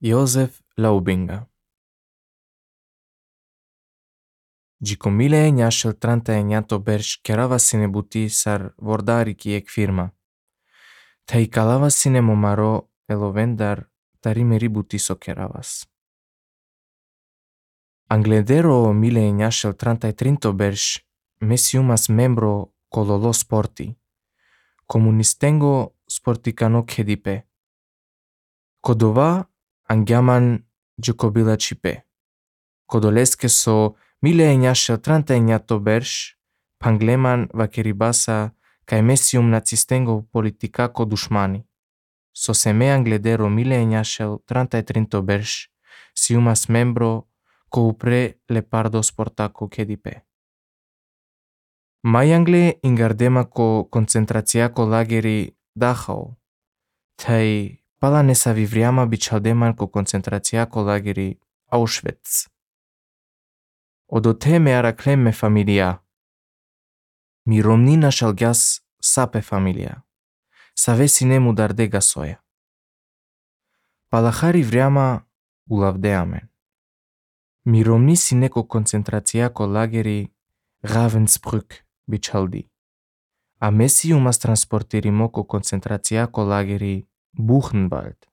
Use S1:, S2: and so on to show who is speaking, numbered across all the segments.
S1: Josef Laubinga. Gjiko 1939 bersh kerava sine buti sar vordariki ek firma. Ta i kalava sine momaro elovendar tarimeri buti so keravas. Angledero 1933 bersh mesiumas membro kololo sporti. Komunistengo sportikano khedipe. Kodova angjaman gjokobila qipe. Kodoleske so 1939 bersh pangleman vakeribasa kaj mesium nacistengo politikako dushmani. Soseme angledero 1933 bersh siumas membro ko upre lepardo sportako kedipe. Majangle ingardema ko koncentraciako lageri Dachau, taj pala nesavivriama bičaldeman ko koncentraciako lageri Auschwitz. Odote me araklem me familia. Mi romnina shalgyas sape familia. Save sine mudarde gasoya. Palahari vriama ulavdeamen. Mi romni sine ko koncentraciako lageri Ravensbrück bichaldi. A mesi umas transportirimo ko koncentraciako lageri Buchenwald.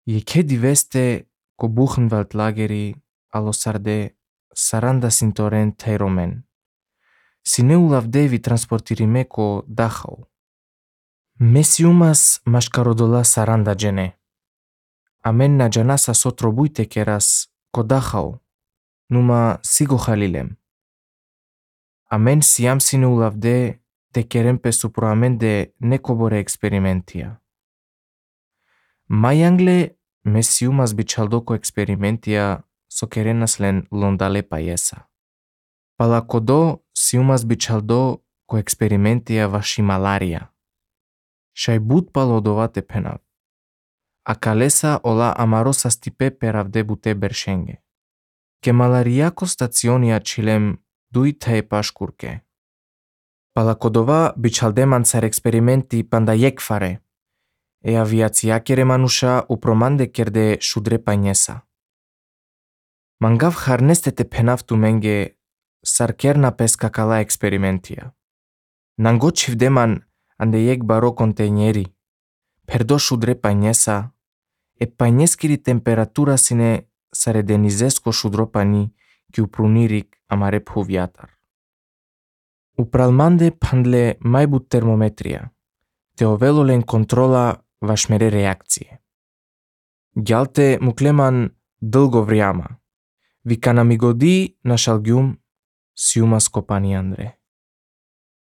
S1: Jeke diveste ko Buchenwald lageri alosarde saranda sintoren tairomen. Sine ulavdevi transportirime ko Dachau. Mesiumas mashkarodola saranda gene. Amen na janasa sotrobuite keras ko Dachau. Numa sigo halilem. Amen siam sine ulavde te kerem pe suproamen de nekobore experimentia. Majangle mesiumas bichaldoko experimentia so kerenas len londale payesa. Palakodo siumas bichaldo ko experimentia vashi malaria. Shaibut palodovate penav. Akalesa ola amarosa stipe peravde bute bershenge. Ke malariako stacionia chilem dui tae pashkurke. Palakodova bichaldeman sar experimenti pandayek fare. E aviația keremanușa upromande kerde shudre painesa. Mangav harneste te penavtu menge sarkerna pescacala experimentia. Nango chivdeman ande yek baro containeri. Perdo shudre painesa, e paineskiri temperatura sine saredenizesco shudropani ki uprunirik amare phuviatar. Upralmande pandle maibut termometria, te ovelolen controla vašmere reakcije. Gjalte mukleman dlgo vriama. Vika namigodi na šalgjum siumas kopani Andre.